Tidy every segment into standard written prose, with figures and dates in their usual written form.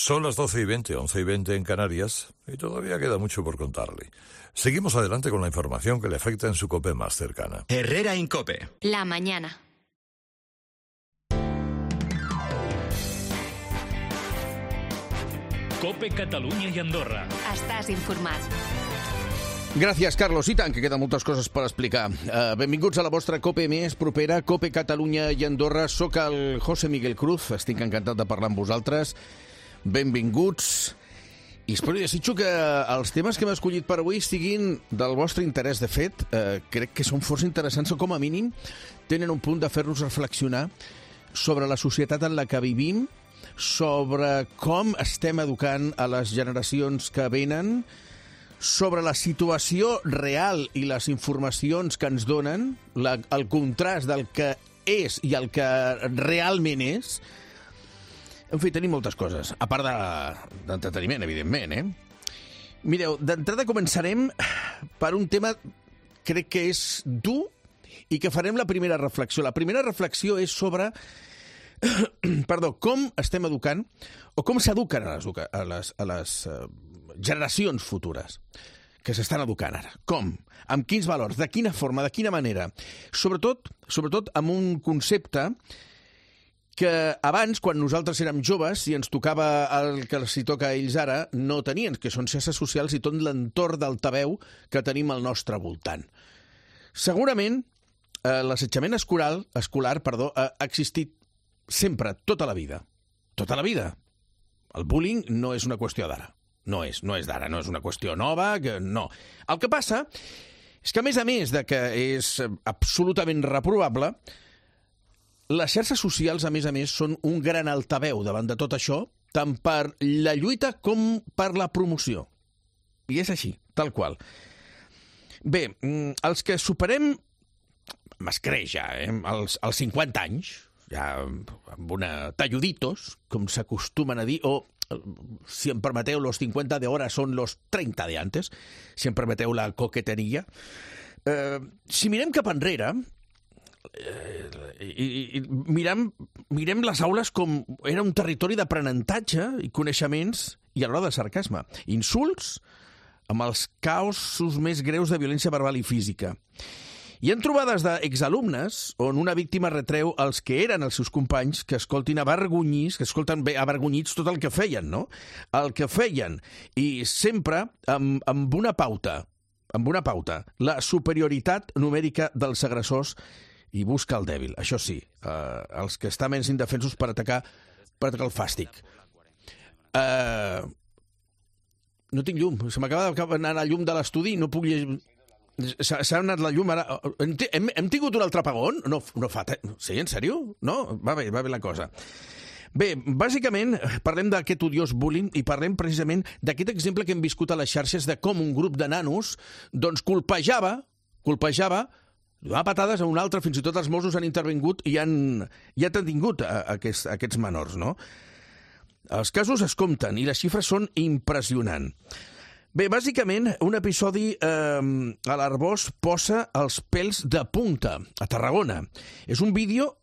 Son las 12:20, 11:20 en Canarias, y todavía queda mucho por contarle. Seguimos adelante con la información que le afecta en su COPE más cercana. Herrera en COPE. La mañana. COPE Catalunya i Andorra. Estàs informat. Gràcies, Carlos. I tant, que queden moltes coses per explicar. Benvinguts a la vostra COPE més propera, COPE Catalunya i Andorra. Soc el José Miguel Cruz, estic encantat de parlar amb vosaltres. Benvinguts. I espero i desitjo que els temes que hem escollit per avui siguin del vostre interès. De fet, crec que són força interessants o, com a mínim, tenen un punt de fer-nos reflexionar sobre la societat en la que vivim, sobre com estem educant a les generacions que venen, sobre la situació real i les informacions que ens donen, el contrast del que és i el que realment és. En fi, tenim moltes coses, a part d'entreteniment, evidentment, Mireu, d'entrada començarem per un tema, crec que és dur, i que farem la primera reflexió. La primera reflexió és sobre com estem educant o com s'eduquen a les generacions futures que s'estan educant ara. Com? Amb quins valors? De quina forma? De quina manera? Sobretot amb un concepte que abans, quan nosaltres érem joves i ens tocava el que els toca a ells ara, no tenien, que són xarxes socials i tot l'entorn d'altaveu que tenim al nostre voltant. Segurament, l'assetjament escolar ha existit sempre, tota la vida. Tota la vida. El bullying no és una qüestió d'ara. No és d'ara, no és una qüestió nova, no. El que passa és que, a més de que és absolutament reprovable, les xarxes socials, a més, són un gran altaveu davant de tot això, tant per la lluita com per la promoció. I és així, tal qual. Bé, els que superem, m'escreix ja, als 50 anys, ja amb una talluditos, com s'acostumen a dir, o, si em permeteu, los 50 de ahora son los 30 de antes, si em permeteu la coqueteria. Si mirem cap enrere, i mirem les aules com era un territori d'aprenentatge i coneixements i alhora de sarcasme. Insults amb els caosos més greus de violència verbal i física. Hi ha trobades d'exalumnes on una víctima retreu als que eren els seus companys que escoltin avergonyits tot el que feien, no? El que feien, i sempre amb una pauta, la superioritat numèrica dels agressors i busca el dèbil. Això sí, els que estan menys indefensos per atacar el fàstic. No tinc llum, se m'acaba d'anar la llum de l'estudi, no puc llegir... S'ha anat la llum ara. Hem tingut un altre apagón? No fa... Sí, en sèrio? No? Va bé la cosa. Bé, bàsicament parlem d'aquest odiós bullying i parlem precisament d'aquest exemple que hem viscut a les xarxes de com un grup de nanos doncs colpejava, donava patades a un altre, fins i tot els Mossos han intervingut i han detingut aquests menors, no? Els casos es compten i les xifres són impressionants. Bé, bàsicament, un episodi a l'Arboç posa els pèls de punta, a Tarragona. És un vídeo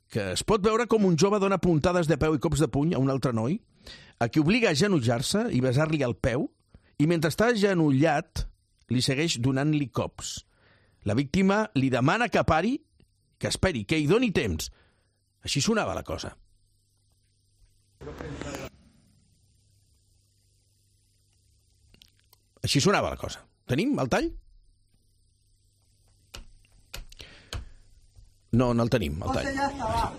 que es pot veure com un jove dona puntades de peu i cops de puny a un altre noi, a qui obliga a agenollar-se i besar-li el peu, i mentre està agenollat li segueix donant-li cops. La víctima li demana que pari, que esperi, que hi doni temps. Així sonava la cosa. Així sonava la cosa. Tenim el tall? No el tenim, el tall. Ya está abajo.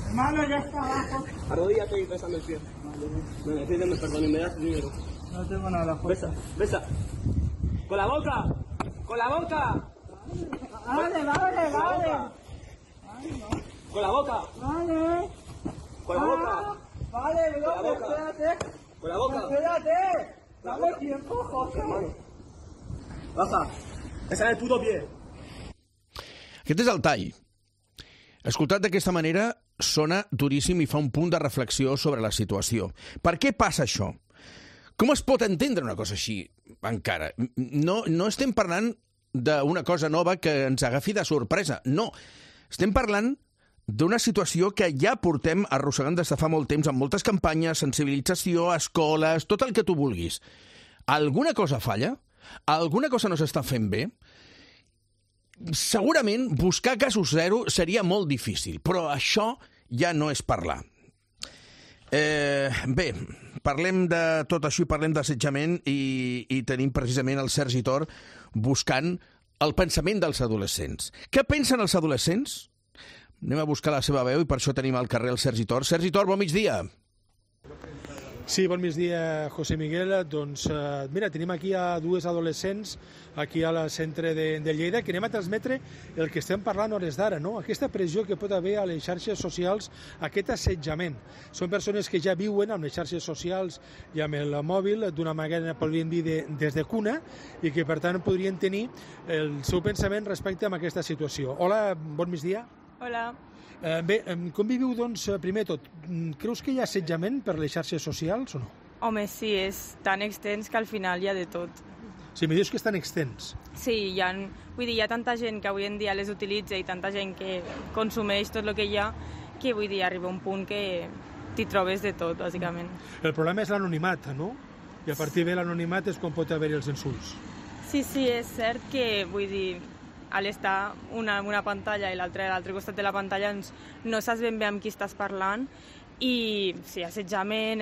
Hermano, ya está abajo. Arrodíllate y bésame el pie. Bueno, pídeme perdón y me das dinero. No tengo nada. Besa. ¡Con la boca! ¡Con la boca! Vale. Ay, no. ¡Con la boca! Vale. ¡Con la boca! Vale, bro, Con la boca. espérate. ¡Con la boca! Espérate. Dame tiempo, José. Baja. Bésame el puto pie. Aquest és el tall. Escoltat d'aquesta manera, sona duríssim i fa un punt de reflexió sobre la situació. Per què passa això? Com es pot entendre una cosa així encara? No estem parlant d'una cosa nova que ens agafi de sorpresa. No, estem parlant d'una situació que ja portem arrossegant des de fa molt temps, amb moltes campanyes, sensibilització, escoles, tot el que tu vulguis. Alguna cosa falla? Alguna cosa no s'està fent bé? Segurament buscar casos zero seria molt difícil, però això ja no és parlar. Bé, parlem de tot això i parlem d'assetjament i tenim precisament el Sergi Tor buscant el pensament dels adolescents. Què pensen els adolescents? Anem a buscar la seva veu i per això tenim al carrer el Sergi Tor. Sergi Tor, bon migdia. Sí, bon migdia, José Miguel. Doncs, mira, tenim aquí a dues adolescents aquí al centre de Lleida que anem a transmetre el que estem parlant hores d'ara, no? Aquesta pressió que pot haver a les xarxes socials, aquest assetjament. Són persones que ja viuen amb les xarxes socials i amb el mòbil d'una manera, podríem dir, des de cuna i que, per tant, podrien tenir el seu pensament respecte a aquesta situació. Hola, bon migdia. Hola. Bé, com viviu, doncs, primer tot? Creus que hi ha assetjament per les xarxes socials o no? Home, sí, és tan extens que al final hi ha de tot. Sí, em dius que estan extens. Sí, hi ha tanta gent que avui en dia les utilitza i tanta gent que consumeix tot el que hi ha, que vull dir, arriba un punt que t'hi trobes de tot, bàsicament. El problema és l'anonimat, no? I a partir de l'anonimat és quan pot haver-hi els insults. Sí, és cert que, vull dir, a l'estar una en una pantalla i l'altra a l'altre costat de la pantalla no saps ben bé amb qui estàs parlant i sí, assetjament,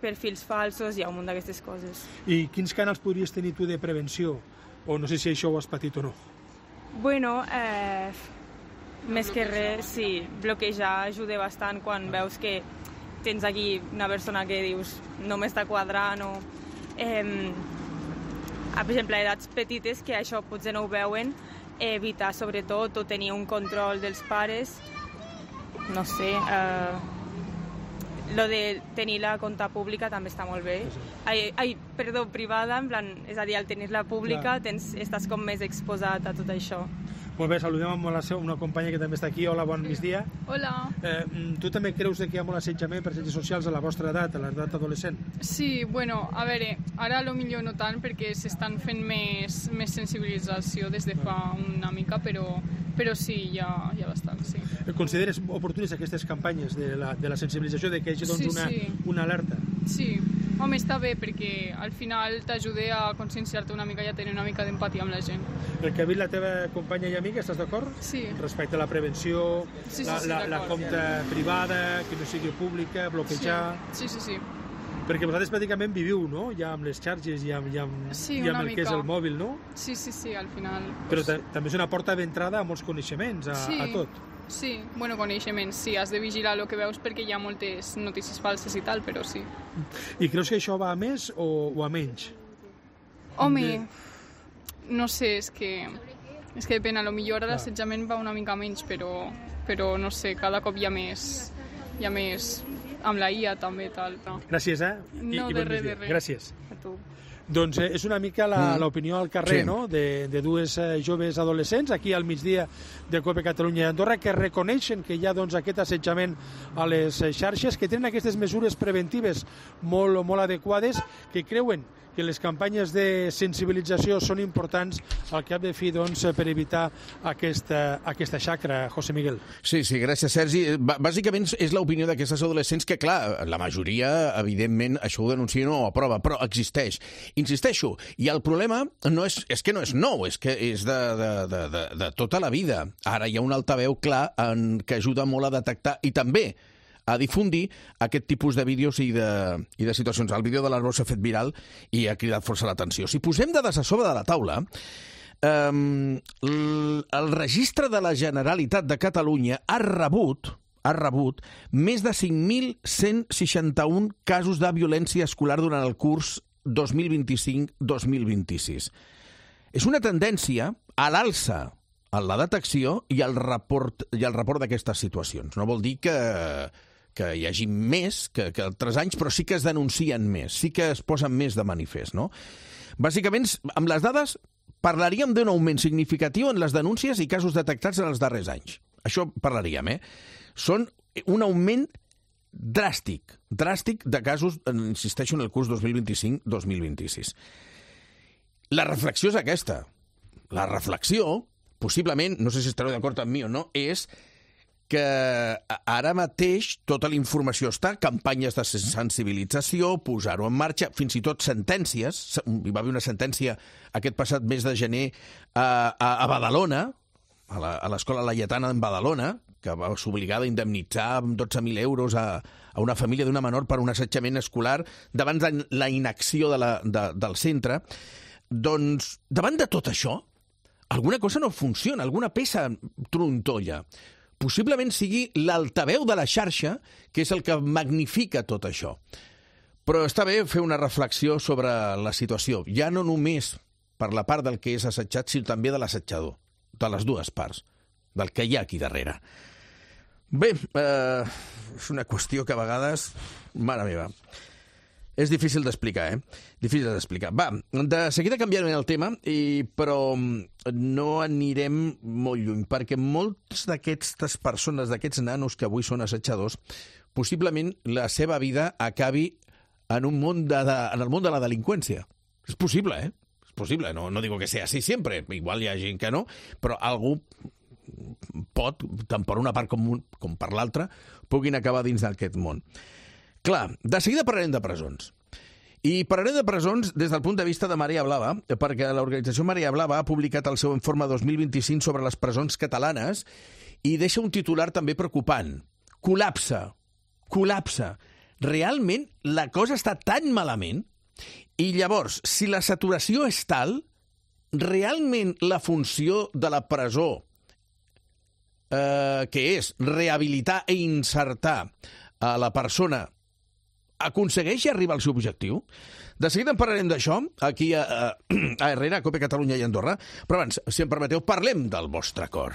perfils falsos, hi ha un munt d'aquestes coses. I quins canals podries tenir tu de prevenció? O no sé si això ho has patit o no. Bueno, més que res, sí, bloquejar ajuda bastant quan veus que tens aquí una persona que dius no m'està quadrant o... per exemple, a edats petites que això potser no ho veuen, evitar sobretot o tenir un control dels pares, no sé, lo de tenir la compta pública també està molt bé. Privada, en plan, és a dir, al tenir-la pública estàs com més exposat a tot això. Molt bé, saludem amb una companya que també està aquí. Hola, bon migdia. Hola. Tu també creus que hi ha molt assetjament per xarxes socials a la vostra edat, a l'edat adolescent? Sí, bueno, a veure, ara potser no tant perquè s'estan fent més sensibilització des de fa una mica, però sí, hi ha bastant, sí. Consideres oportunes aquestes campanyes de la sensibilització, de que hi hagi una alerta? Sí, home, està bé perquè al final t'ajuda a conscienciar-te una mica i a tenir una mica d'empatia amb la gent. El que ha dit la teva companya i amiga, estàs d'acord? Sí. Respecte a la prevenció, sí, la compta privada, que no sigui pública, bloquejar... Sí. Perquè vosaltres pràcticament viviu, no?, ja amb les xarxes i amb el que és el mòbil, no? Sí, al final. Però també és una porta d'entrada a molts coneixements, a tot. Sí, bueno, coneixements, sí, has de vigilar el que veus perquè hi ha moltes notícies falses i tal, però sí. I creus que això va a més o a menys? Home, no sé, és que depèn, a lo millor ara l'assetjament va una mica menys, però no sé, cada cop hi ha més amb la IA també, tal. No. Gràcies, No, de res. Gràcies. A tu. Doncs és una mica l'opinió al carrer, no?, de dues joves adolescents aquí al migdia de COPE Catalunya i Andorra que reconeixen que hi ha aquest assetjament a les xarxes, que tenen aquestes mesures preventives molt adequades, que creuen que les campanyes de sensibilització són importants al cap de fi per evitar aquesta xacra, José Miguel. Sí, gràcies, Sergi. Bàsicament és l'opinió d'aquestes adolescents que, clar, la majoria, evidentment, això ho denuncien o aprova, però existeix. Insisteixo, i el problema és que no és nou, és que és de tota la vida. Ara hi ha un altaveu clar que ajuda molt a detectar i també a difundir aquest tipus de vídeos i de situacions. El vídeo de l'Arbor s'ha fet viral i ha cridat força l'atenció. Si posem dades a sobre de la taula, el registre de la Generalitat de Catalunya ha rebut més de 5.161 casos de violència escolar durant el curs 2025-2026. És una tendència a l'alça en la detecció i el report d'aquestes situacions. No vol dir que hi hagi més que altres anys, però sí que es denuncien més, sí que es posen més de manifest, no? Bàsicament, amb les dades, parlaríem d'un augment significatiu en les denúncies i casos detectats en els darrers anys. Això parlaríem, Són un augment dràstic de casos, insisteixo, en el curs 2025-2026. La reflexió és aquesta. La reflexió, possiblement, no sé si estareu d'acord amb mi o no, és que ara mateix tota la informació està, campanyes de sensibilització, posar-ho en marxa, fins i tot sentències. Hi va haver una sentència aquest passat mes de gener a Badalona, a l'Escola Laietana en Badalona, que va ser obligada a indemnitzar amb 12.000 euros a una família d'una menor per un assetjament escolar davant de la inacció del centre. Doncs, davant de tot això, alguna cosa no funciona, alguna peça trontolla. Possiblement sigui l'altaveu de la xarxa, que és el que magnifica tot això. Però està bé fer una reflexió sobre la situació, ja no només per la part del que és assetjat, sinó també de l'assetjador, de les dues parts, del que hi ha aquí darrere. Bé, és una qüestió que a vegades, mare meva, és difícil d'explicar, Difícil d'explicar. Va, de seguida canviarem el tema, però no anirem molt lluny, perquè moltes d'aquestes persones, d'aquests nanos que avui són assetjadors, possiblement la seva vida acabi en el món de la delinqüència. És possible, És possible, no digo que sea así siempre, igual hi ha gent que no, però algú pot, tant per una part com per l'altra, puguin acabar dins d'aquest món. Clar, de seguida parlarem de presons. I parlarem de presons des del punt de vista de Marea Blava, perquè l'organització Marea Blava ha publicat el seu informe 2025 sobre les presons catalanes i deixa un titular també preocupant. Col·lapse. Realment la cosa està tan malament? I llavors, si la saturació és tal, realment la funció de la presó, que és rehabilitar i insertar a la persona, aconsegueix arribar al seu objectiu? De seguida en parlarem d'això, aquí a Herrera, a COPE Catalunya i Andorra, però abans, si em permeteu, parlem del vostre cor.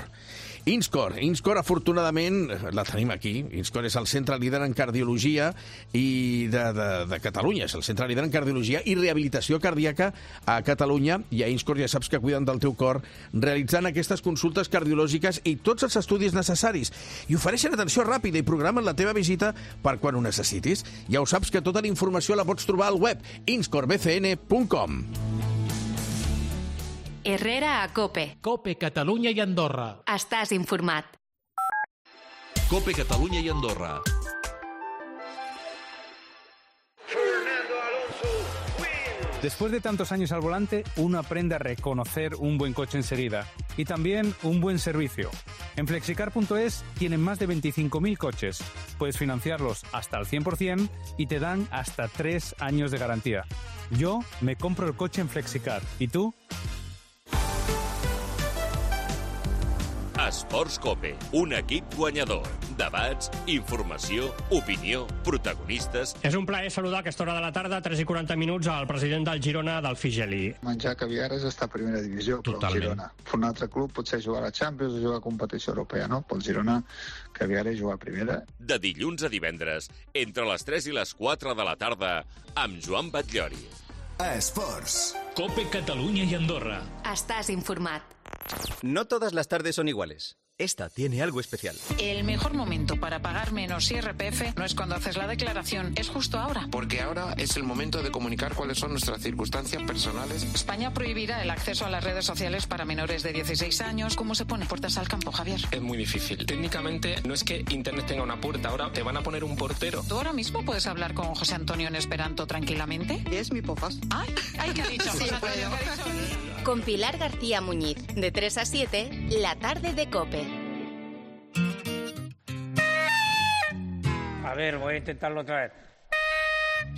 Inscor, afortunadament, la tenim aquí. Inscor és el centre líder en cardiologia de Catalunya. És el centre líder en cardiologia i rehabilitació cardíaca a Catalunya. I a Inscor ja saps que cuiden del teu cor realitzant aquestes consultes cardiològiques i tots els estudis necessaris. I ofereixen atenció ràpida i programen la teva visita per quan ho necessitis. Ja ho saps que tota la informació la pots trobar al web inscorbcn.com. Herrera a COPE. COPE Catalunya i Andorra. Estàs informat. COPE Catalunya i Andorra. Después de tantos años al volante, uno aprende a reconocer un buen coche enseguida y también un buen servicio. En Flexicar.es tienen más de 25.000 coches. Puedes financiarlos hasta al 100% y te dan hasta 3 años de garantía. Yo me compro el coche en Flexicar. ¿Y tú? Esports COPE, un equip guanyador. Debats, informació, opinió, protagonistes... És un plaer saludar a aquesta hora de la tarda, 3:40 al president del Girona, Delfí Geli. Menjar caviar és estar a primera divisió, però el Girona. Per un altre club potser jugar a la Champions o jugar a competició europea, no? Pel Girona, caviar és jugar a primera. De dilluns a divendres, entre les 3 i les 4 de la tarda, amb Joan Batllori. Esports. COPE Catalunya i Andorra. Estàs informat. No todas las tardes son iguales. Esta tiene algo especial. El mejor momento para pagar menos IRPF no es cuando haces la declaración, es justo ahora. Porque ahora es el momento de comunicar cuáles son nuestras circunstancias personales. España prohibirá el acceso a las redes sociales para menores de 16 años. ¿Cómo se pone puertas al campo, Javier? Es muy difícil. Técnicamente no es que Internet tenga una puerta, ahora te van a poner un portero. ¿Tú ahora mismo puedes hablar con José Antonio en esperanto tranquilamente? Es mi pofas. Ay, ¿qué ha dicho? Sí, Con Pilar García Muñiz, de 3 a 7, la tarde de COPE. A ver, voy a intentarlo otra vez.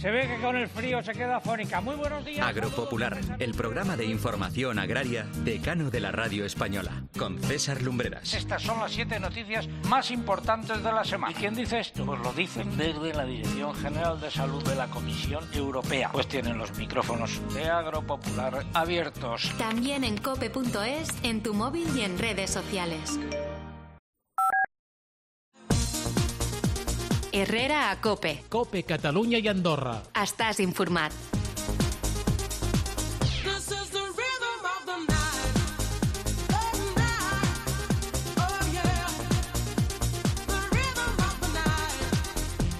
Se ve que con el frío se queda afónica. Muy buenos días. Agropopular, el programa de información agraria decano de la radio española, con César Lumbreras. Estas son las 7 noticias más importantes de la semana. ¿Y quién dice esto? Pues lo dicen desde la Dirección General de Salud de la Comisión Europea. Pues tienen los micrófonos de Agropopular abiertos. También en cope.es, en tu móvil y en redes sociales. Herrera a COPE. COPE Catalunya i Andorra. Estàs informat.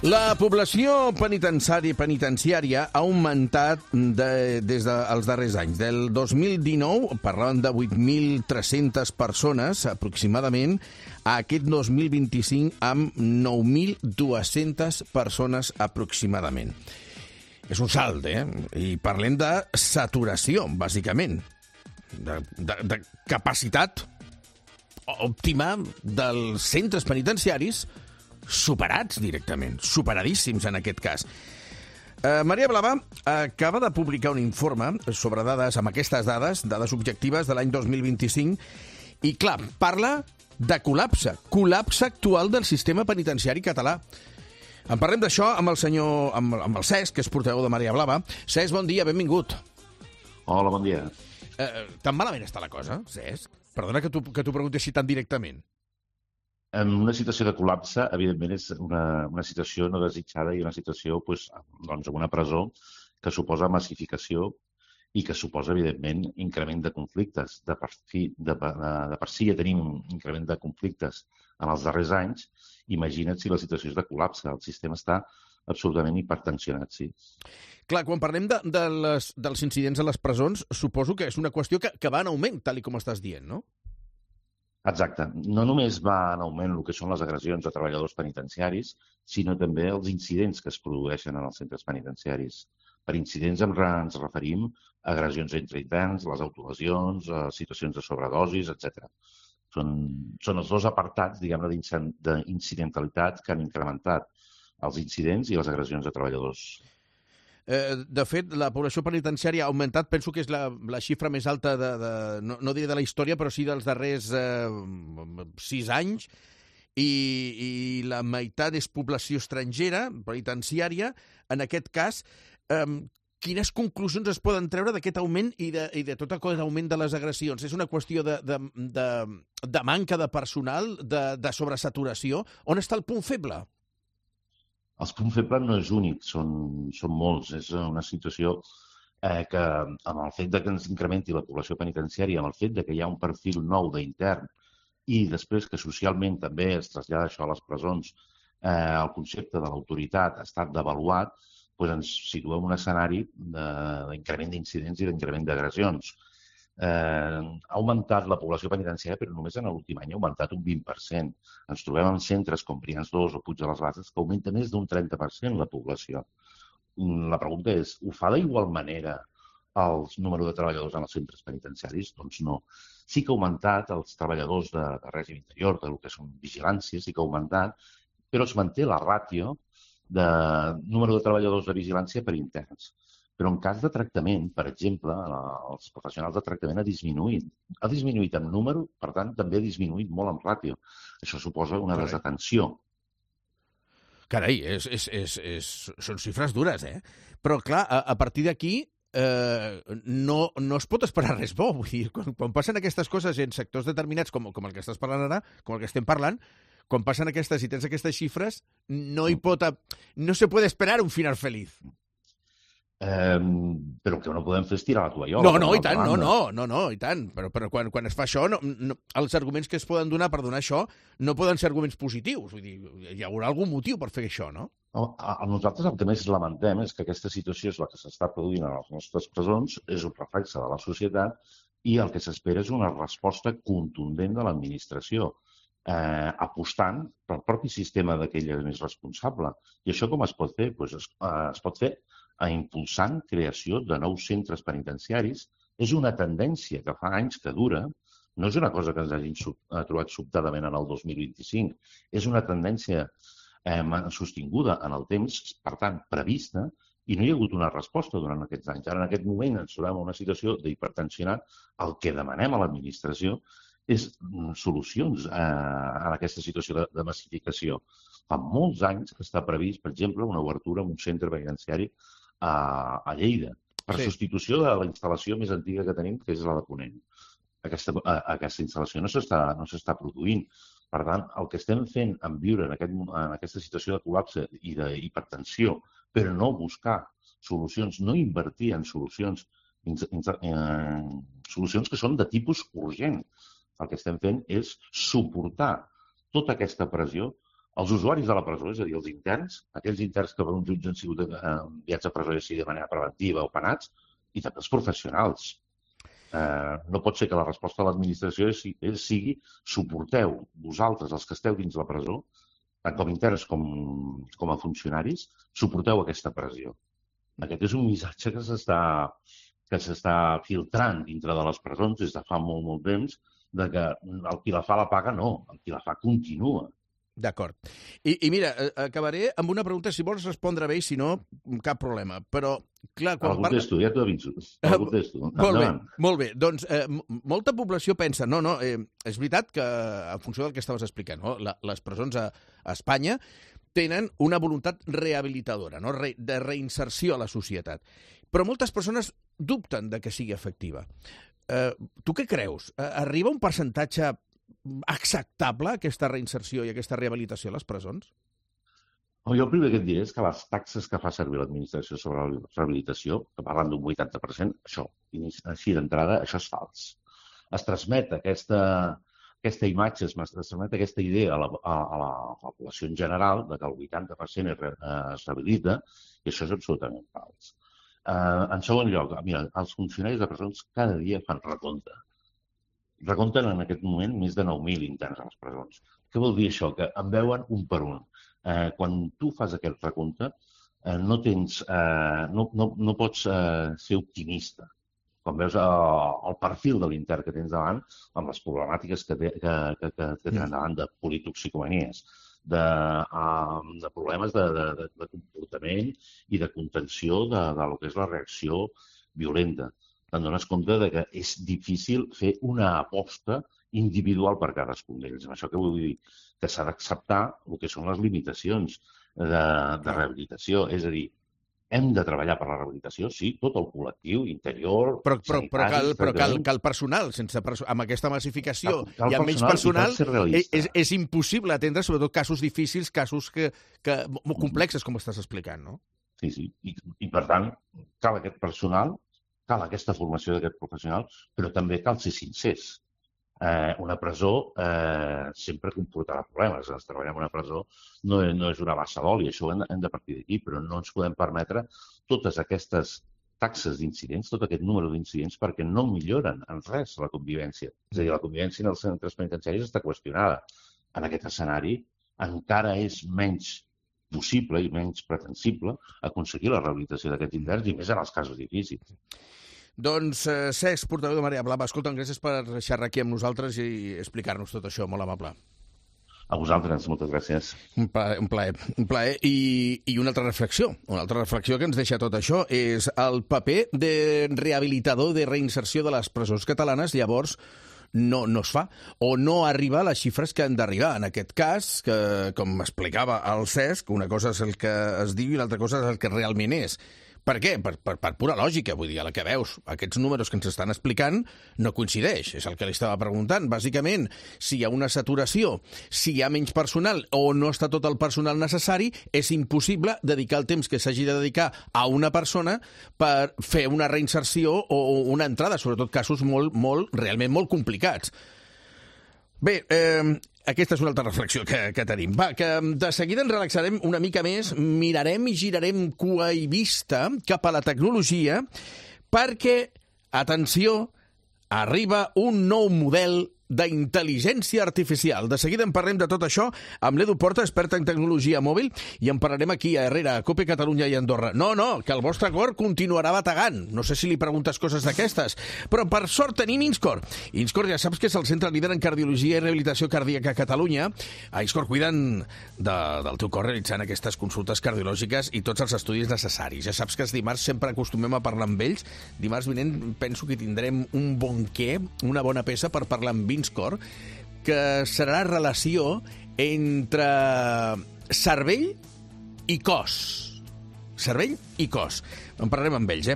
La població penitenciària ha augmentat des dels darrers anys. Del 2019 parlàvem de 8.300 persones aproximadament, a aquest 2025 amb 9.200 persones aproximadament. És un salt, I parlem de saturació, bàsicament, de capacitat òptima dels centres penitenciaris, superats directament, superadíssims en aquest cas. Maria Blava acaba de publicar un informe sobre dades, amb aquestes dades objectives de l'any 2025, i clar, parla de col·lapse actual del sistema penitenciari català. En parlem d'això amb el Cesc, que és portaveu de Maria Blava. Cesc, bon dia, benvingut. Hola, bon dia. Tan malament està la cosa, Cesc? Perdona que t'ho pregunti així tan directament. En una situació de col·lapse, evidentment, és una situació no desitjada i una situació en una presó que suposa massificació i que suposa, evidentment, increment de conflictes. De per si ja tenim un increment de conflictes en els darrers anys. Imagina't si la situació és de col·lapse. El sistema està absolutament hipertensionat, sí. Clar, quan parlem dels incidents a les presons, suposo que és una qüestió que va en augment, tal com estàs dient, no? Exacte. No només va en augment el que són les agressions a treballadors penitenciaris, sinó també els incidents que es produeixen en els centres penitenciaris. Per incidents ens referim a agressions entre interns, les autolesions, situacions de sobredosis, etc. Són els dos apartats, diguem-ne, d'incidentalitat que han incrementat els incidents i les agressions a treballadors. De fet, la població penitenciària ha augmentat, penso que és la xifra més alta, no diré de la història, però sí dels darrers 6 anys, i la meitat és població estrangera, penitenciària. En aquest cas, quines conclusions es poden treure d'aquest augment i de tot aquest augment de les agressions? És una qüestió de manca de personal, de sobresaturació? On està el punt feble? Els punts febles no és únic, són molts. És una situació que, amb el fet que ens incrementi la població penitenciària, amb el fet que hi ha un perfil nou d'intern i després que socialment també es trasllada això a les presons, el concepte de l'autoritat ha estat devaluat, ens situem en un escenari d'increment d'incidents i d'increment d'agressions. Ha augmentat la població penitenciària, però només en l'últim any ha augmentat un 20%. Ens trobem en centres com Brians 2 o Puig de les Basses que augmenta més d'un 30% la població. La pregunta és, ho fa d'igual manera el número de treballadors en els centres penitenciaris? Doncs no. Sí que ha augmentat els treballadors de règim interior, del que són vigilància, sí que ha augmentat, però es manté la ràtio de número de treballadors de vigilància per interns. Però en cas de tractament, per exemple, els professionals de tractament ha disminuït. Ha disminuït en número, per tant, també ha disminuït molt en ràtio. Això suposa una desatenció. Carai, són xifres dures, Però, clar, a partir d'aquí no es pot esperar res bo. Vull dir, quan passen aquestes coses en sectors determinats, com el que estàs parlant ara, com el que estem parlant, quan passen aquestes i tens aquestes xifres, no se puede esperar un final feliz. Però el que no podem fer és tirar la tovallola. I tant. Però quan es fa això, els arguments que es poden donar per donar això no poden ser arguments positius. Vull dir, hi haurà algun motiu per fer això, no? Nosaltres el que més lamentem és que aquesta situació és la que s'està produint a les nostres presons, és un reflexe de la societat i el que s'espera és una resposta contundent de l'administració, apostant pel propi sistema d'aquell més responsable. I això com es pot fer? Es pot fer impulsant creació de nous centres penitenciaris. És una tendència que fa anys que dura, no és una cosa que ens hagin trobat sobtadament en el 2025, és una tendència sostinguda en el temps, per tant, prevista, i no hi ha hagut una resposta durant aquests anys. Ara, en aquest moment, ens trobem en una situació d'hipertensionat. El que demanem a l'administració és solucions a aquesta situació de massificació. Fa molts anys que està previst, per exemple, una obertura en un centre penitenciari a Lleida, per substitució de la instal·lació més antiga que tenim, que és la de Ponent. Aquesta instal·lació no s'està produint. Per tant, el que estem fent en viure en aquesta situació de col·lapse i d'hipertensió, però no buscar solucions, no invertir en solucions que són de tipus urgent. El que estem fent és suportar tota aquesta pressió Els usuaris de la presó, és a dir, els interns, aquells interns que per un jutge han sigut enviats a presó ja sigui de manera preventiva o penats, i també els professionals. No pot ser que la resposta de l'administració sigui suporteu vosaltres, els que esteu dins la presó, tant com interns com a funcionaris, suporteu aquesta pressió. Aquest és un missatge que s'està filtrant dintre de les presons des de fa molt temps, de que el qui la fa la paga no, el qui la fa continua. D'acord. I mira, acabaré amb una pregunta, si vols respondre bé, i si no, cap problema. Però, clar... El contesto, ja t'ho aviso. El contesto. Molt bé. Doncs molta població pensa, és veritat que, en funció del que estaves explicant, les presons a Espanya tenen una voluntat rehabilitadora, de reinserció a la societat. Però moltes persones dubten de que sigui efectiva. Tu què creus? Arriba un percentatge acceptable aquesta reinserció i aquesta rehabilitació a les presons? Jo el primer que et diré és que les taxes que fa servir l'administració sobre la rehabilitació, que parlen d'un 80%, això, així d'entrada, això és fals. Es transmet aquesta imatge, es transmet aquesta idea a la població en general de que el 80% es rehabilita, i això és absolutament fals. En segon lloc, mira, els funcionaris de presons cada dia fan recompte. Recompten en aquest moment més de 9.000 interns a les presons. Què vol dir això? Que en veuen un per un. Quan tu fas aquest recompte, no pots ser optimista. Quan veus el perfil de l'intern que tens davant, amb les problemàtiques que tenen davant de politoxicomanies, de problemes de comportament i de contenció de lo que és la reacció violenta. Te'n dones compte que és difícil fer una aposta individual per cadascun d'ells. Amb això que vull dir que s'ha d'acceptar el que són les limitacions de rehabilitació. És a dir, hem de treballar per la rehabilitació, sí, tot el col·lectiu, interior, sanitari... Però cal personal. Amb aquesta massificació i amb menys personal és impossible atendre sobretot casos difícils, casos molt complexes, com estàs explicant, no? Sí. I per tant, cal aquest personal, cal aquesta formació d'aquest professional, però també cal ser sincers. Una presó sempre comportarà problemes. Treballar en una presó no és una bassa d'oli, això hem de partir d'aquí, però no ens podem permetre totes aquestes taxes d'incidents, tot aquest número d'incidents, perquè no milloren en res la convivència. És a dir, la convivència en els centres penitenciaris està qüestionada. En aquest escenari encara és menys possible i menys pretensible aconseguir la rehabilitació d'aquests interns i més en els casos difícils. Doncs Cesc, portaveu de Marea Blava, escolta'm, gràcies per xerrar aquí amb nosaltres i explicar-nos tot això, molt amable. A vosaltres, moltes gràcies. Un plaer. I una altra reflexió que ens deixa tot això és el paper de rehabilitador, de reinserció de les presons catalanes, llavors no es fa, o no arriba a les xifres que han d'arribar. En aquest cas, que, com explicava el Cesc, una cosa és el que es diu i l'altra cosa és el que realment és. Per què? Per pura lògica, vull dir, a la que veus. Aquests números que ens estan explicant no coincideix, és el que li estava preguntant. Bàsicament, si hi ha una saturació, si hi ha menys personal o no està tot el personal necessari, és impossible dedicar el temps que s'hagi de dedicar a una persona per fer una reinserció o una entrada, sobretot casos realment molt complicats. Bé, aquesta és una altra reflexió que tenim. Va, que de seguida ens relaxarem una mica més, mirarem i girarem cua i vista cap a la tecnologia perquè, atenció, arriba un nou model d'intel·ligència artificial. De seguida en parlem de tot això amb l'Edu Porta, experta en tecnologia mòbil, i en parlarem aquí a Herrera, a COPE Catalunya i Andorra. No, que el vostre cor continuarà bategant. No sé si li preguntes coses d'aquestes, però per sort tenim Inscor. Inscor ja saps que és el centre líder en cardiologia i rehabilitació cardíaca a Catalunya. A Inscor cuiden del teu cor realitzant aquestes consultes cardiològiques i tots els estudis necessaris. Ja saps que els dimarts sempre acostumem a parlar amb ells. Dimarts vinent penso que tindrem un bon què, una bona peça per parlar amb Inscor, que serà la relació entre cervell i cos. Cervell i cos. En parlarem amb ells,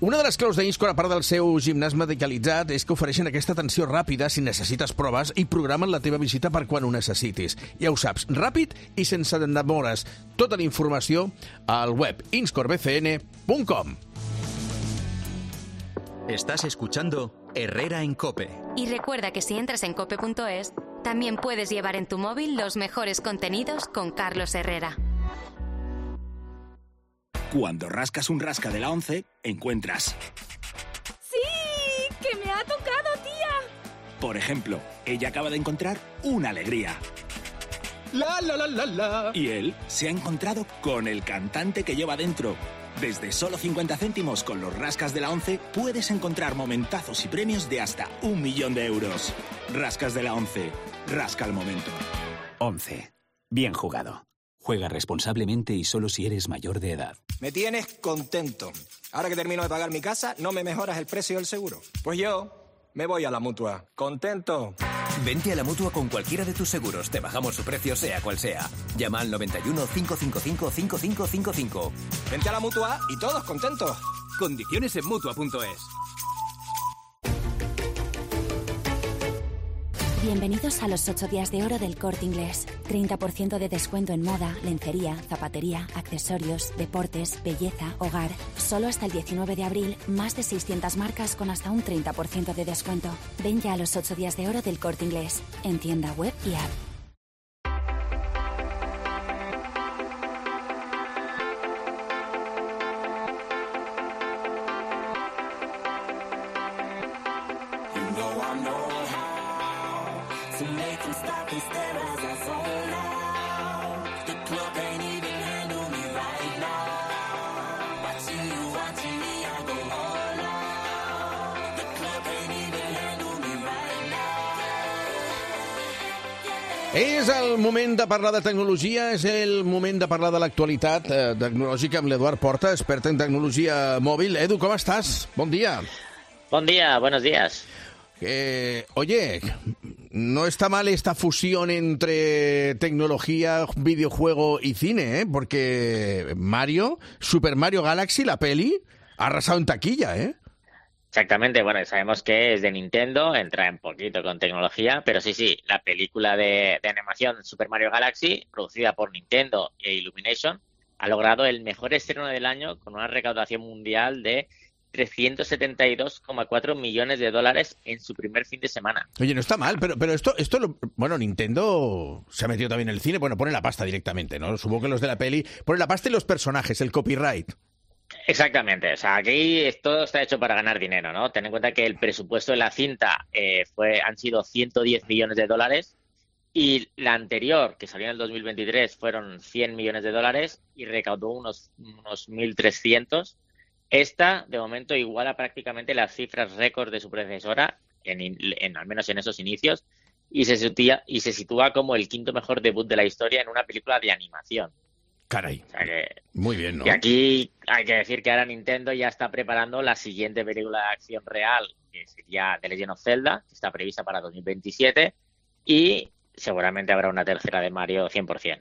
Una de les claus d'Inscor, a part del seu gimnàs medicalitzat, és que ofereixen aquesta atenció ràpida si necessites proves i programen la teva visita per quan ho necessitis. Ja ho saps, ràpid i sense demores. Tota la informació al web inscorbcn.com. Estás escuchando Herrera en COPE. Y recuerda que si entras en cope.es, También puedes llevar en tu móvil los mejores contenidos con Carlos Herrera. Cuando rascas un rasca de la 11, encuentras... ¡Sí! ¡Que me ha tocado, tía! Por ejemplo, ella acaba de encontrar una alegría. La, la, la, la, la. Y él se ha encontrado con el cantante que lleva dentro. Desde solo 50 céntimos con los rascas de la 11 puedes encontrar momentazos y premios de hasta 1 millón de euros. Rascas de la 11. Rasca el momento. 11. Bien jugado. Juega responsablemente y solo si eres mayor de edad. Me tienes contento. Ahora que termino de pagar mi casa, ¿no me mejoras el precio del seguro? Pues yo me voy a la Mutua. ¡Contento! Vente a la Mutua con cualquiera de tus seguros. Te bajamos su precio sea cual sea. Llama al 91 555 5555. Vente a la Mutua y todos contentos. Condiciones en Mutua.es. Bienvenidos a los 8 días de oro del Corte Inglés. 30% de descuento en moda, lencería, zapatería, accesorios, deportes, belleza, hogar. Solo hasta el 19 de abril, más de 600 marcas con hasta un 30% de descuento. Ven ya a los 8 días de oro del Corte Inglés. En tienda web y app. És el moment de parlar de tecnologia, és el moment de parlar de l'actualitat tecnològica amb l'Eduard Porta, expert en tecnologia mòbil. Edu, ¿cómo estás? Bon día. Bon día, buenos días. Oye, no está mal esta fusión entre tecnología, videojuego y cine, ¿eh? Porque Mario, Super Mario Galaxy, la peli, ha arrasado en taquilla, ¿eh? Exactamente, bueno, sabemos que es de Nintendo, entra un poquito con tecnología, pero sí, la película de animación Super Mario Galaxy, producida por Nintendo e Illumination, ha logrado el mejor estreno del año con una recaudación mundial de 372,4 millones de dólares en su primer fin de semana. Oye, no está mal, pero esto bueno, Nintendo se ha metido también en el cine, bueno, pone la pasta directamente, ¿no? Supongo que los de la peli ponen la pasta y los personajes, el copyright. Exactamente, o sea, aquí todo está hecho para ganar dinero, ¿no? Ten en cuenta que el presupuesto de la cinta han sido 110 millones de dólares y la anterior, que salió en el 2023, fueron 100 millones de dólares y recaudó unos 1.300. Esta, de momento, iguala prácticamente las cifras récord de su predecesora, al menos en esos inicios, y se sitúa como el quinto mejor debut de la historia en una película de animación. Caray, o sea que, muy bien, ¿no? Y aquí hay que decir que ahora Nintendo ya está preparando la siguiente película de acción real, que sería The Legend of Zelda, que está prevista para 2027, y seguramente habrá una tercera de Mario 100%.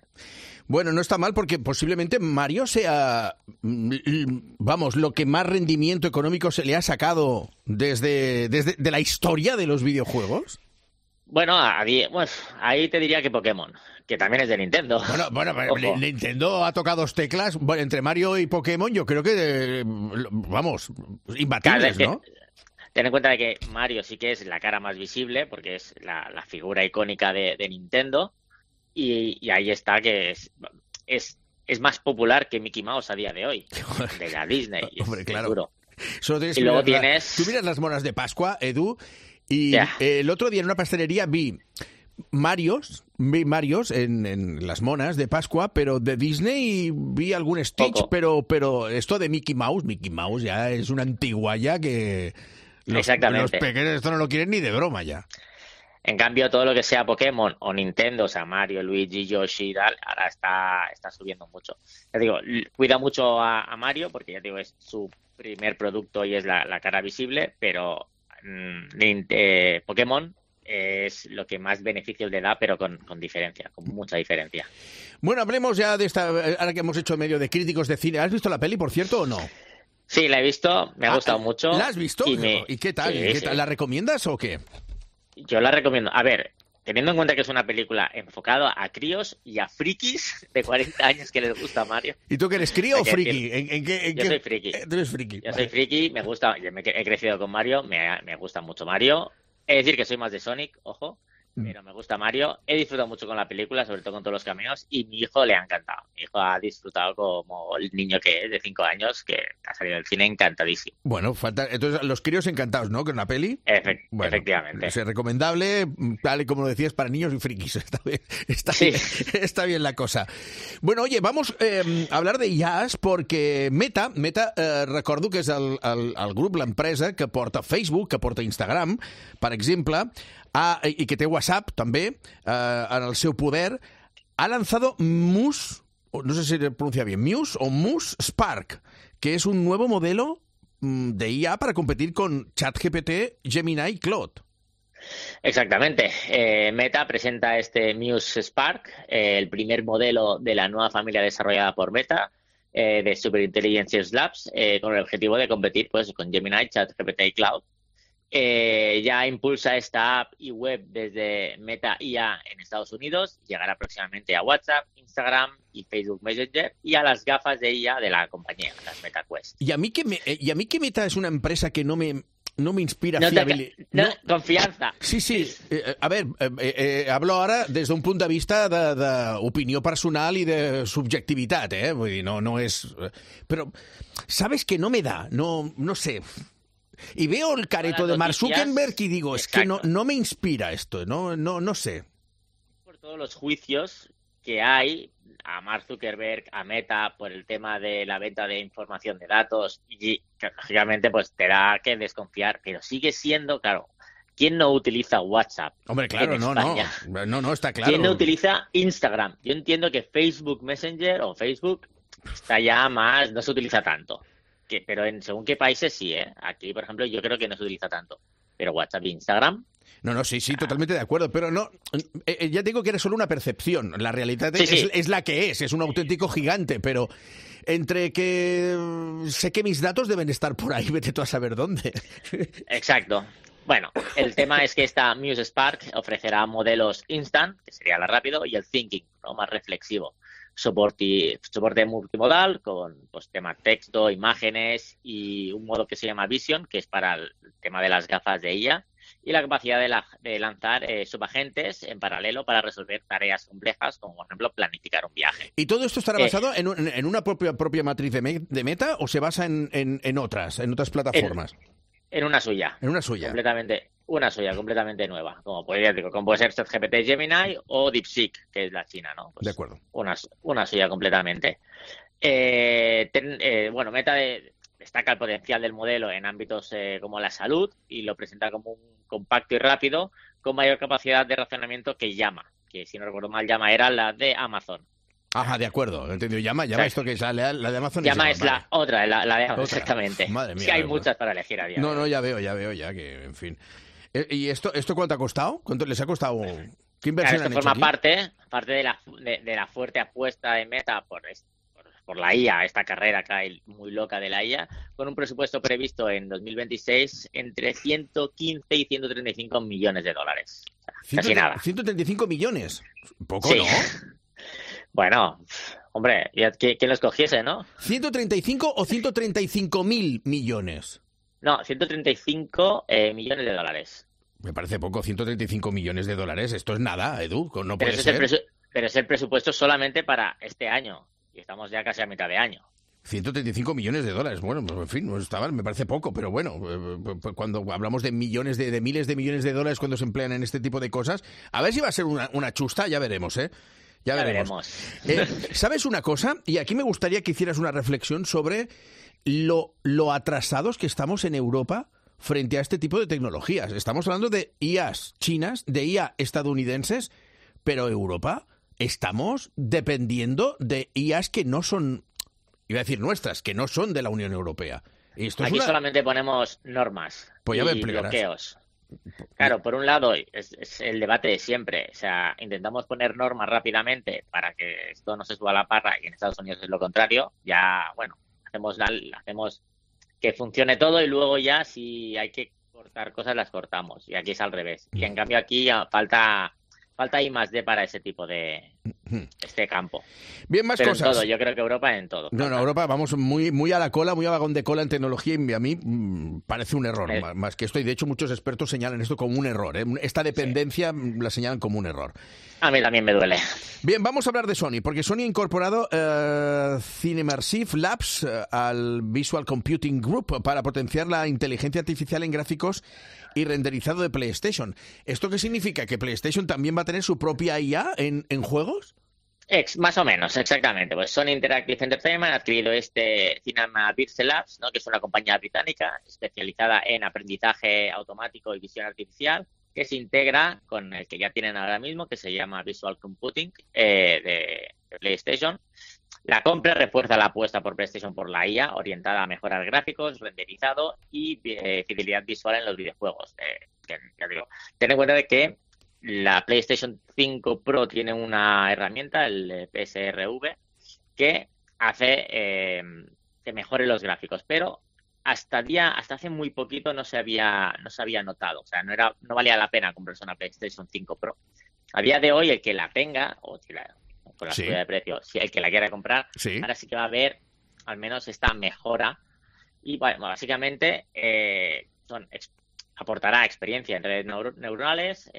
Bueno, no está mal porque posiblemente Mario sea, vamos, lo que más rendimiento económico se le ha sacado desde la historia de los videojuegos. Bueno, ahí te diría que Pokémon, que también es de Nintendo. Bueno, Nintendo ha tocado dos teclas. Bueno, entre Mario y Pokémon yo creo que, vamos, imbatibles, ¿no? Ten en cuenta que Mario sí que es la cara más visible, porque es la figura icónica de Nintendo, y ahí está que es más popular que Mickey Mouse a día de hoy, de la Disney. Hombre, claro. Seguro. Y luego tú miras las monas de Pascua, Edu, y el otro día en una pastelería vi Marios en las monas de Pascua, pero de Disney vi algún Stitch, pero esto de Mickey Mouse ya es una antiguaya que los pequeños esto no lo quieren ni de broma ya. En cambio, todo lo que sea Pokémon o Nintendo, o sea, Mario, Luigi, Yoshi y tal, ahora está subiendo mucho. Ya digo, cuida mucho a Mario porque, ya digo, es su primer producto y es la cara visible, pero Pokémon es lo que más beneficios le da, pero con diferencia, con mucha diferencia. Bueno, hablemos ya de esta, ahora que hemos hecho medio de críticos de cine. ¿Has visto la peli, por cierto, o no? Sí, la he visto, me ha gustado mucho. ¿La has visto? ¿Y qué tal? Sí. ¿La recomiendas o qué? Yo la recomiendo. A ver, teniendo en cuenta que es una película enfocada a críos y a frikis de 40 años que les gusta Mario. ¿Y tú que eres crío o friki? Yo soy friki. ¿Tú eres friki? Yo soy friki, me gusta, he crecido con Mario, me gusta mucho Mario. Es decir, que soy más de Sonic, ojo, pero me gusta Mario. He disfrutado mucho con la película, sobre todo con todos los cameos, y mi hijo le ha encantado. Mi hijo ha disfrutado como el niño que es, de 5 años, que ha salido del cine encantadísimo. Bueno, entonces los críos encantados, ¿no? Con la peli. Bueno, efectivamente. Es recomendable, tal y como lo decías, para niños y frikis. Está bien la cosa. Bueno, oye, vamos a hablar de IAs, porque Meta recordo que és el grup, l'empresa que porta Facebook, que porta Instagram, per exemple, y que té WhatsApp també en el seu poder, ha lanzado Muse, no sé si se pronuncia bien, Muse o Muse Spark, que es un nuevo modelo de IA para competir con ChatGPT, Gemini y Claude. Exactamente. Meta presenta este Muse Spark, el primer modelo de la nueva familia desarrollada por Meta, de Super Intelligence Labs, con el objetivo de competir pues con Gemini, ChatGPT y Claude. Ya impulsa esta app y web desde Meta IA en Estados Unidos, llegará próximamente a WhatsApp, Instagram y Facebook Messenger y a las gafas de IA de la compañía, las Meta Quest. Y a mí que Meta es una empresa que no me inspira fiabilidad. Confianza. Sí. A ver, hablo ahora desde un punt de vista d'opinió personal i de subjectivitat, Vull dir, no és... Però, ¿sabes que no me da? No sé... Y veo el careto de Mark Zuckerberg y digo, es que no me inspira esto, no sé. Por todos los juicios que hay a Mark Zuckerberg, a Meta, por el tema de la venta de información de datos, y que, lógicamente pues te da que desconfiar, pero sigue siendo, claro, ¿quién no utiliza WhatsApp? Hombre, claro, no, está claro. ¿Quién no utiliza Instagram? Yo entiendo que Facebook Messenger o Facebook está ya más, no se utiliza tanto. Pero según qué países sí, Aquí, por ejemplo, yo creo que no se utiliza tanto. Pero WhatsApp e Instagram... No, sí, totalmente de acuerdo, pero no, ya digo que era solo una percepción. La realidad es la que es un auténtico gigante, pero entre que sé que mis datos deben estar por ahí, vete tú a saber dónde. Exacto. Bueno, el tema es que esta Muse Spark ofrecerá modelos instant, que sería la rápido, y el thinking, ¿no? Más reflexivo. Soporte multimodal con pues, tema texto, imágenes y un modo que se llama Vision, que es para el tema de las gafas de IA, y la capacidad de lanzar subagentes en paralelo para resolver tareas complejas, como por ejemplo planificar un viaje. ¿Y todo esto estará basado en una propia matriz de Meta o se basa en otras plataformas? En una suya. En una suya. Completamente nueva. Como puede ser ChatGPT, Gemini o DeepSeek, que es la china, ¿no? Pues de acuerdo. Una suya completamente. Meta destaca el potencial del modelo en ámbitos como la salud y lo presenta como un compacto y rápido con mayor capacidad de razonamiento que Llama, que si no recuerdo mal, Llama era la de Amazon. Ajá, de acuerdo, entendido. Llama esto que es la de Amazon. Llama es la otra, la de Amazon, exactamente. Madre mía. Sí, hay muchas para elegir a día. No, ya veo, que, en fin. ¿Y esto cuánto ha costado? ¿Cuánto les ha costado? ¿Qué inversión han hecho forma aquí? parte de la fuerte apuesta de Meta por la IA, esta carrera que hay muy loca de la IA, con un presupuesto previsto en 2026 entre 115 y 135 millones de dólares. O sea, casi nada. 135 millones. Poco, sí. ¿no? Bueno, hombre, ¿quién lo escogiese, no? ¿135 o 135.000 millones? No, 135 millones de dólares. Me parece poco, 135 millones de dólares. Esto es nada, Edu, no puede ser. Pero es el presupuesto solamente para este año. Y estamos ya casi a mitad de año. 135 millones de dólares. Bueno, pues en fin, no está mal, me parece poco, pero bueno, cuando hablamos de millones, de miles de millones de dólares cuando se emplean en este tipo de cosas, a ver si va a ser una chusta, ya veremos, Ya veremos. ¿Sabes una cosa? Y aquí me gustaría que hicieras una reflexión sobre lo atrasados que estamos en Europa frente a este tipo de tecnologías. Estamos hablando de IAs chinas, de IA estadounidenses, pero Europa estamos dependiendo de IAs que no son, iba a decir nuestras, que no son de la Unión Europea. Y esto aquí solamente ponemos normas y bloqueos. Claro, por un lado es el debate de siempre, o sea, intentamos poner normas rápidamente para que esto no se suba a la parra y en Estados Unidos es lo contrario, ya, bueno, hacemos que funcione todo y luego ya si hay que cortar cosas las cortamos y aquí es al revés. Y en cambio aquí falta I+D para ese tipo de este campo. Bien, más Pero cosas. En todo, yo creo que Europa en todo. No, Europa vamos muy a la cola, muy a vagón de cola en tecnología y a mí parece un error, más que esto. Y de hecho muchos expertos señalan esto como un error. Esta dependencia la señalan como un error. A mí también me duele. Bien, vamos a hablar de Sony, porque Sony ha incorporado Cinemersive Labs al Visual Computing Group para potenciar la inteligencia artificial en gráficos y renderizado de PlayStation. ¿Esto qué significa? ¿Que PlayStation también va a tener su propia IA en juegos? Más o menos, exactamente. Pues Sony Interactive Entertainment ha adquirido este Cinemersive Labs, ¿no? Que es una compañía británica especializada en aprendizaje automático y visión artificial, que se integra con el que ya tienen ahora mismo, que se llama Visual Computing de PlayStation. La compra refuerza la apuesta por PlayStation por la IA, orientada a mejorar gráficos, renderizado y fidelidad visual en los videojuegos. Ya digo, ten en cuenta de que la PlayStation 5 Pro tiene una herramienta, el PSRV, que hace que mejore los gráficos, pero hasta hace muy poquito no se había notado, o sea, no valía la pena comprarse una PlayStation 5 Pro. A día de hoy, el que la tenga, o si con la subida de precio, si el que la quiera comprar, ahora sí que va a ver al menos esta mejora. Y bueno, básicamente aportará experiencia en redes neuronales,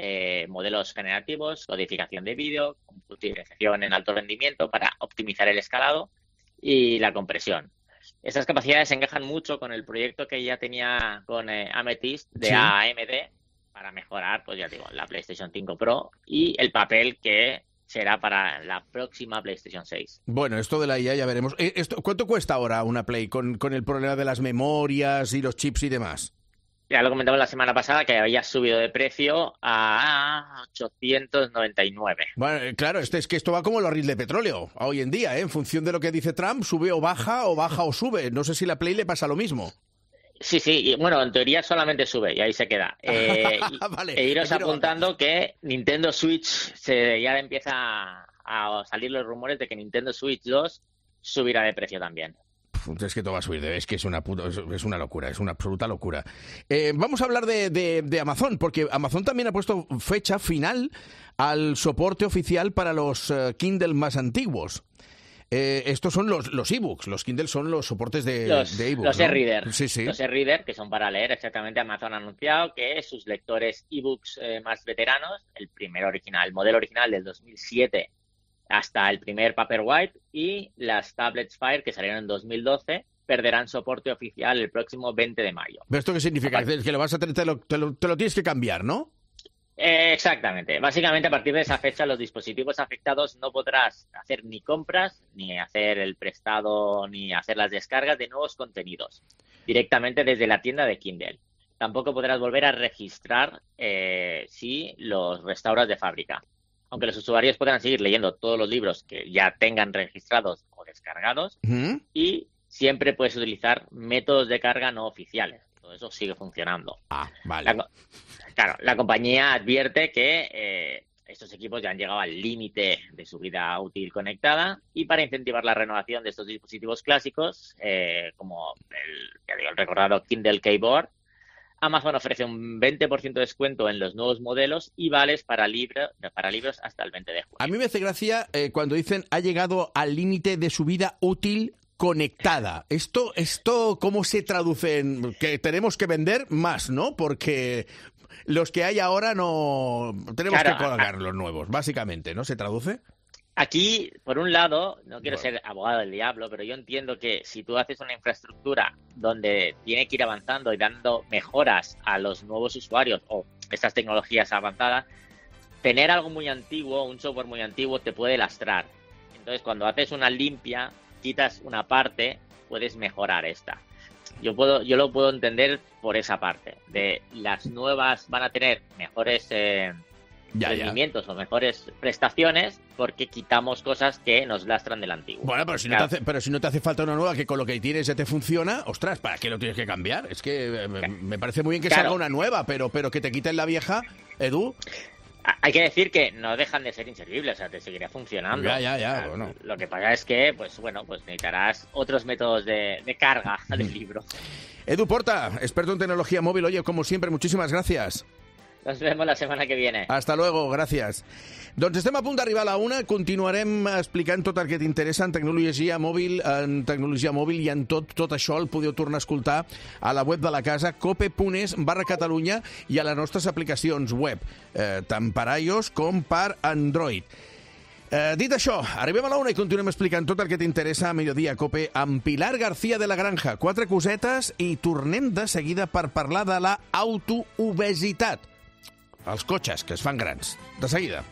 modelos generativos, codificación de vídeo, computarización en alto rendimiento para optimizar el escalado y la compresión. Estas capacidades encajan mucho con el proyecto que ya tenía con Amethyst de AMD para mejorar, pues ya digo, la PlayStation 5 Pro y el papel que será para la próxima PlayStation 6. Bueno, esto de la IA ya veremos. ¿Cuánto cuesta ahora una Play con el problema de las memorias y los chips y demás? Ya lo comentamos la semana pasada, que había subido de precio a 899. Bueno, claro, es que esto va como el barril de petróleo hoy en día, en función de lo que dice Trump, sube o baja o sube. No sé si la Play le pasa lo mismo. Sí, y bueno, en teoría solamente sube y ahí se queda. Vale, e iros apuntando que Nintendo Switch ya empieza a salir los rumores de que Nintendo Switch 2 subirá de precio también. Es que todo va a subir, es que es una locura, es una absoluta locura. Vamos a hablar de Amazon, porque Amazon también ha puesto fecha final al soporte oficial para los Kindle más antiguos. Estos son los ebooks, los Kindle son los soportes de ebooks. Los e-reader, sí. Los e-reader, que son para leer, exactamente. Amazon ha anunciado que sus lectores ebooks más veteranos, el modelo original del 2007 hasta el primer Paperwhite y las tablets Fire que salieron en 2012 perderán soporte oficial el próximo 20 de mayo. ¿Pero esto qué significa? Que lo vas a tener, te lo tienes que cambiar, ¿no? Exactamente. Básicamente, a partir de esa fecha, los dispositivos afectados no podrás hacer ni compras, ni hacer el prestado, ni hacer las descargas de nuevos contenidos directamente desde la tienda de Kindle. Tampoco podrás volver a registrar si los restauras de fábrica. Aunque los usuarios podrán seguir leyendo todos los libros que ya tengan registrados o descargados, y siempre puedes utilizar métodos de carga no oficiales. Todo eso sigue funcionando. Vale. La compañía advierte que estos equipos ya han llegado al límite de su vida útil conectada, y para incentivar la renovación de estos dispositivos clásicos, como el recordado Kindle Keyboard, Amazon ofrece un 20% de descuento en los nuevos modelos y vales para libros hasta el 20 de junio. A mí me hace gracia cuando dicen ha llegado al límite de su vida útil conectada. Esto ¿cómo se traduce en que tenemos que vender más, no? Porque los que hay ahora no tenemos que colgar los nuevos, básicamente, ¿no? ¿Se traduce? Aquí, por un lado, no quiero ser abogado del diablo, pero yo entiendo que si tú haces una infraestructura donde tiene que ir avanzando y dando mejoras a los nuevos usuarios o estas tecnologías avanzadas, tener algo muy antiguo, un software muy antiguo, te puede lastrar. Entonces, cuando haces una limpia, quitas una parte, puedes mejorar esta. Yo lo puedo entender por esa parte. De las nuevas van a tener mejores rendimientos o mejores prestaciones porque quitamos cosas que nos lastran del antiguo. Bueno, pero si no te hace falta una nueva que con lo que tienes ya te funciona, ostras, ¿para qué lo tienes que cambiar? Es que me parece muy bien que salga una nueva, pero que te quiten la vieja, Edu. Hay que decir que no dejan de ser inservibles, o sea, te seguirá funcionando. Ya, bueno. Lo que pasa es que, pues necesitarás otros métodos de carga del libro. Edu Porta, experto en tecnología móvil. Oye, como siempre, muchísimas gracias. Nos vemos la semana que viene. Hasta luego, gracias. Doncs estem a punt d'arribar a la 1, continuarem explicant tot el que t'interessa en tecnologia mòbil i en tot això el podeu tornar a escoltar a la web de la casa cope.es/Catalunya i a les nostres aplicacions web, tant per iOS com per Android. Dit això, arribem a la 1 i continuem explicant tot el que t'interessa a Mediodía Cope amb Pilar García de la Granja. 4 cosetes i tornem de seguida per parlar de la autoobesitat. Els cotxes que es fan grans. De seguida.